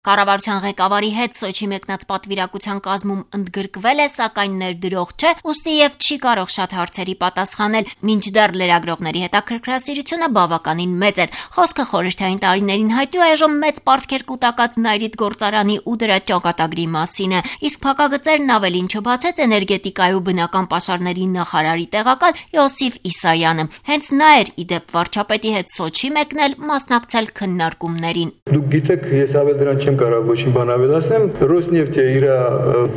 Կառավարության ղեկավարի հետ Սոչի մեկնած պատվիրակության կազմում ընդգրկվել է, սակայն ներդրող չէ, ուստի եւ չի կարող շատ հարցերի պատասխանել, մինչդեռ լրագրողների հետաքրքրասիրությունը բավականին մեծ էր։ Խոսքը խորհրդային տարիներին հայտնի այժմ մեծ պարտքեր կուտակած Նայրիտ գործարանի ու դրա ճակատագրի մասին է, իսկ փակագծերն ավելին չբացեց էներգետիկայի ու բնական պաշարների նախարարի տեղակալ Յոսիֆ Իսայանը։ Հենց նա էր ի դեպ վարչապետի հետ Սոչի մեկնել, մասնակցել քննարկումներին։ Դուք գիտեք, ես ավել դրան չեմ կարող ոչինչ բան ավելացնեմ, Ռոսնեֆտը իր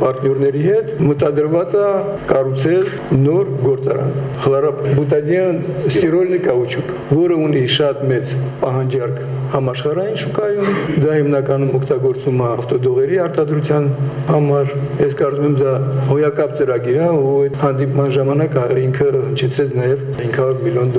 պարտներների հետ մտադրված է կառուցել նոր գործարան։ Խլորաբուտադիան ստիրոլնի կաուչուկ, որը ունի շատ մեծ պահանջարկ համաշխարհային շուկայում, դա հիմնականում օգտագործվում է ավտոդողերի արտադրության համար։ Ես կարծում եմ դա հոյակապ ծրագիր է, ու այդ հանդիպման ժամանակ ինքը հնչեցրեց նաև $500 միլիոն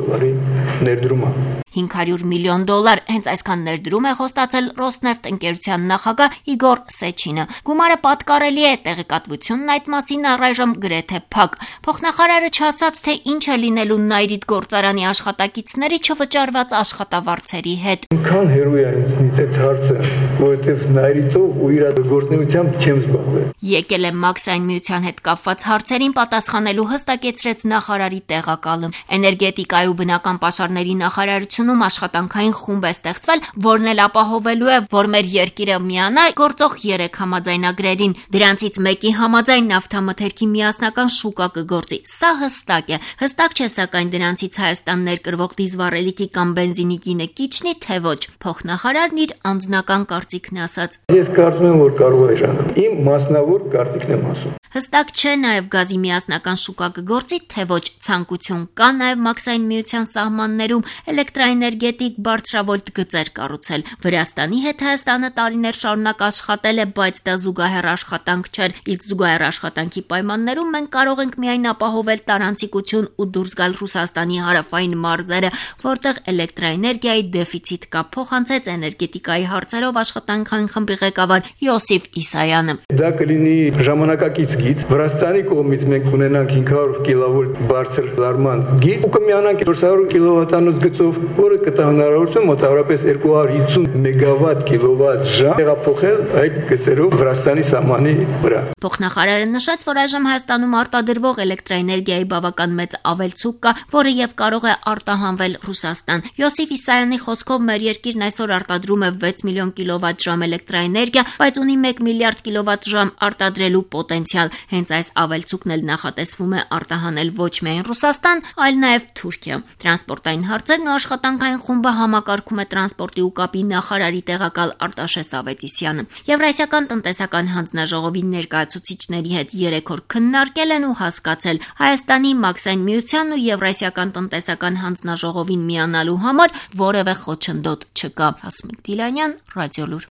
ներդրում։ $500 միլիոն, հենց այսքան ներդրում է խոստացել Ռոսնեֆտ ընկերության նախագահ Իգոր Սեչինը։ Գումարը պատկառելի է, տեղեկատվությունն այդ մասին առայժմ գրեթե փակ։ Փոխնախարարը չասաց, թե ինչ է լինելու Նայրիտ գործարանի աշխատակիցների չվճարված աշխատավարձերի հետ։ Ինքան հերոյ է ինձ այդ հարցը, որովհետև Նայրիտով ու իր գործունեությամբ չեմ զբաղվել։ Եկել է Մաքսային միության հետ կապված հարցերին պատասխանելու, հստակեցրեց նախարարի տեղակալը։ Էներգետիկայի ու բնական պաշարների նախարարությունում աշխատանքային խումբ է ստեղծվել, որն էլ ապահովելու է, որ մեր երկիրը միանա գործող 3 համաձայնագրերին։ Դրանցից մեկի համաձայն նավթամթերքի միասնական շուկա կգործի։ Սա հստակ է։ Հստակ չէ, սակայն դրանցից Հայաստան ներկրվող դիզվառելիքի կամ բենզինի գինը կիջնի, թե ոչ։ Փոխնախարարն իր անձնական կարծիքն ասաց։ Ես կարծում եմ, որ կարող է ժանալ։ Իմ մասնավոր կարծիքն եմ ասում։ Հստակ չէ նաև գազի միասնական շուկա կգործի, թե ոչ։ Ցանկություն կա նաև Մաքսային միության սահմաններում էլեկտրաէներգետիկ բարձրավոլտ գծեր կառուցել։ Վրաստանի հետ Հայաստանը տարիներ շարունակ աշխատել է, բայց դա զուգահեռ աշխատանք չէր, իսկ զուգահեռ աշխատանքի պայմաններում մենք կարող ենք միայն ապահովել տարանցիկություն ու դուրս գալ Ռուսաստանի հարավային մարզերը, որտեղ էլեկտրաէներգիայի դեֆիցիտ կա, փոխանցեց էներգետիկայի հարցերով աշխատանքային խմբի ղեկավար Յոսիֆ Իսայանը։ Դա կլինի ժամանակակից գիծ։ Վրաստանի կողմից մենք ունենանք 500 կիլովոլտ բարձր լարման գիծ ու կմիանանք 400 կիլովատանոց գծով, որը կտա հնարավորություն մոտավորապես 250 մեգավատ կիլովատ ժամ տեղափոխել այդ գծերով Վրաստանի սահմանի վրա։ Փոխնախարարը նշեց, որ այժմ Հայաստանում արտադրվող էլեկտրաէներգիայի բավական մեծ ավելցուկ կա, որը եւ կարող է արտահանվել Ռուսաստան։ Յոսիֆ Իսայանի խոսքով մեր երկիրն այսօր արտադրում է 6 միլիոն կիլովատ ժամ էլեկտրաէներգիա, բայց ունի 1 միլիարդ կիլովատ ժամ արտադրելու պոտենցիալ։ Հենց այս ավելցուկն էլ նախատեսվում է արտահանել ոչ միայն Ռուսաստան, այլ նաև Թուրքիա։ Տրանսպորտային հարցերն ու աշխատանքային խումբը համակարգում է տրանսպորտի ու կապի նախարարի տեղակալ Արտաշես Ավետիսյանը։ Եվրասիական տնտեսական հանձնաժողովի ներկայացուցիչների հետ 3 օր քննարկել են ու հասկացել Հայաստանի, Մաքսային միության ու Եվրասիական տնտեսական հանձնաժողովին միանալու համար որևէ խոչընդոտ չկա։ Հասմիկ Դիլանյան, Ռադիոլուր։